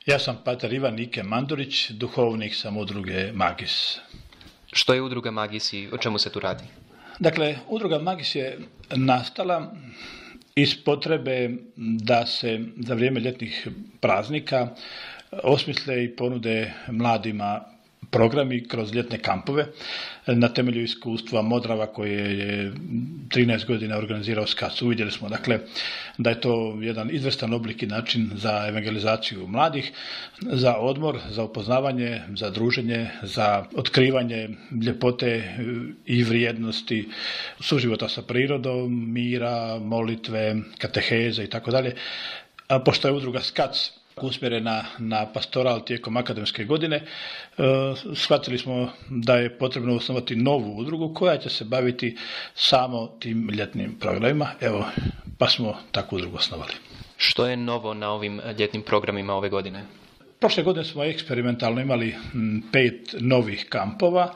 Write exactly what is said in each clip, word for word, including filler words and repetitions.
Ja sam pater Ivan Nike Mandurić, duhovnik sam udruge Magis. Što je udruga Magis i o čemu se tu radi? Dakle, udruga Magis je nastala iz potrebe da se za vrijeme ljetnih praznika osmisle i ponude mladima programi kroz ljetne kampove na temelju iskustva Modrava koje je trinaest godina organizirao SKAC. Uvidjeli smo dakle da je to jedan izvrstan oblik i način za evangelizaciju mladih, za odmor, za upoznavanje, za druženje, za otkrivanje ljepote i vrijednosti suživota sa prirodom, mira, molitve, kateheze i tako dalje. A pošto je udruga SKAC usmjerena na pastoral tijekom akademske godine, e, shvatili smo da je potrebno osnovati novu udrugu koja će se baviti samo tim ljetnim programima. Evo, pa smo takvu udrugu osnovali. Što je novo na ovim ljetnim programima ove godine? Prošle godine smo eksperimentalno imali pet novih kampova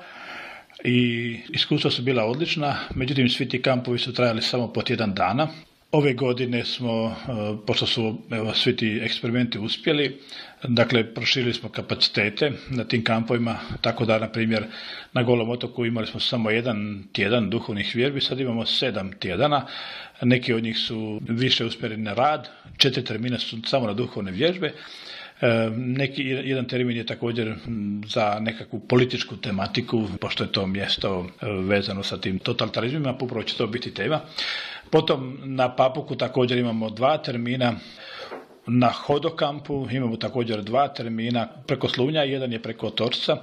i iskustva su bila odlična, međutim svi ti kampovi su trajali samo po tjedan dana. Ove godine smo, pošto su evo, svi ti eksperimenti uspjeli, dakle proširili smo kapacitete na tim kampovima, tako da na primjer na Golom otoku imali smo samo jedan tjedan duhovnih vjerbi, sad imamo sedam tjedana, neki od njih su više usmjereni na rad, četiri termina su samo na duhovne vježbe. Neki, jedan termin je također za nekakvu političku tematiku, pošto je to mjesto vezano sa tim totalitarizmima, upravo će to biti tema. Potom na Papuku također imamo dva termina, na Hodokampu imamo također dva termina, preko Slunja, jedan je preko Otorca.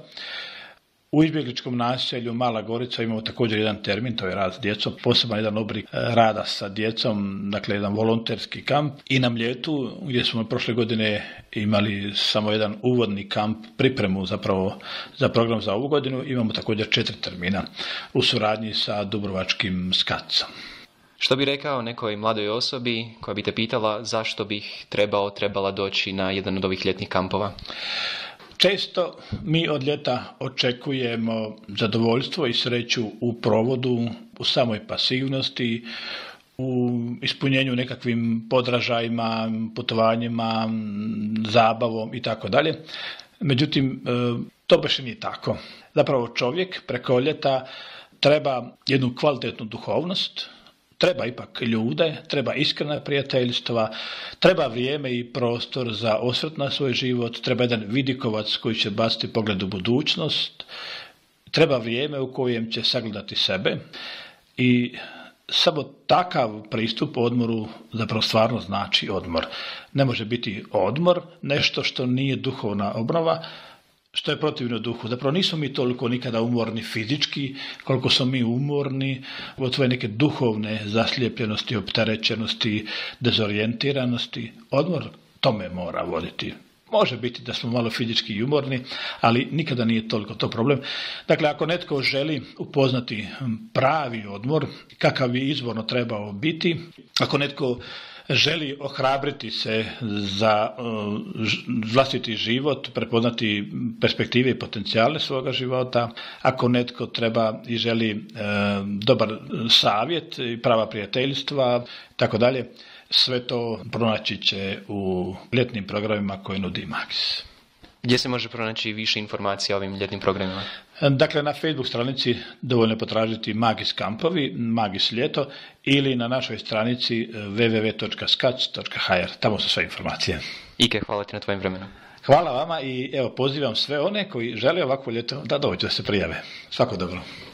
U izbjegličkom naselju Mala Gorica imamo također jedan termin, to je rad s djecom, poseban jedan oblik rada sa djecom, dakle jedan volonterski kamp. I na Mljetu, gdje smo prošle godine imali samo jedan uvodni kamp, pripremu zapravo za program za ovu godinu, imamo također četiri termina u suradnji sa Dubrovačkim skacom. Što bi rekao nekoj mladoj osobi koja bi te pitala zašto bih trebao, trebala doći na jedan od ovih ljetnih kampova? Često mi od ljeta očekujemo zadovoljstvo i sreću u provodu, u samoj pasivnosti, u ispunjenju nekakvim podražajima, putovanjima, zabavom i tako dalje. Međutim, to baš nije tako. Zapravo čovjek preko ljeta treba jednu kvalitetnu duhovnost, treba ipak ljude, treba iskrena prijateljstva, treba vrijeme i prostor za osvrt na svoj život, treba jedan vidikovac koji će baciti pogled u budućnost, treba vrijeme u kojem će sagledati sebe i samo takav pristup odmoru zapravo stvarno znači odmor. Ne može biti odmor nešto što nije duhovna obnova, što je protivno duhu. Zapravo nismo mi toliko nikada umorni fizički, koliko smo mi umorni od svoje neke duhovne zaslijepljenosti, opterećenosti, dezorijentiranosti. Odmor tome mora voditi. Može biti da smo malo fizički i umorni, ali nikada nije toliko to problem. Dakle, ako netko želi upoznati pravi odmor, kakav bi izvorno trebao biti, ako netko želi ohrabriti se za uh, vlastiti život, prepoznati perspektive i potencijale svoga života, ako netko treba i želi uh, dobar savjet i prava prijateljstva, tako dalje, sve to pronaći će u ljetnim programima koje nudi Magis. Gdje se može pronaći više informacija o ovim ljetnim programima? Dakle, na Facebook stranici dovoljno je potražiti Magis kampovi, Magis ljeto, ili na našoj stranici w w w točka skac točka h r. Tamo su sve informacije. Ike, hvala ti na tvojim vremenu. Hvala vama i evo pozivam sve one koji žele ovakvo ljeto da dođu da se prijave. Svako dobro.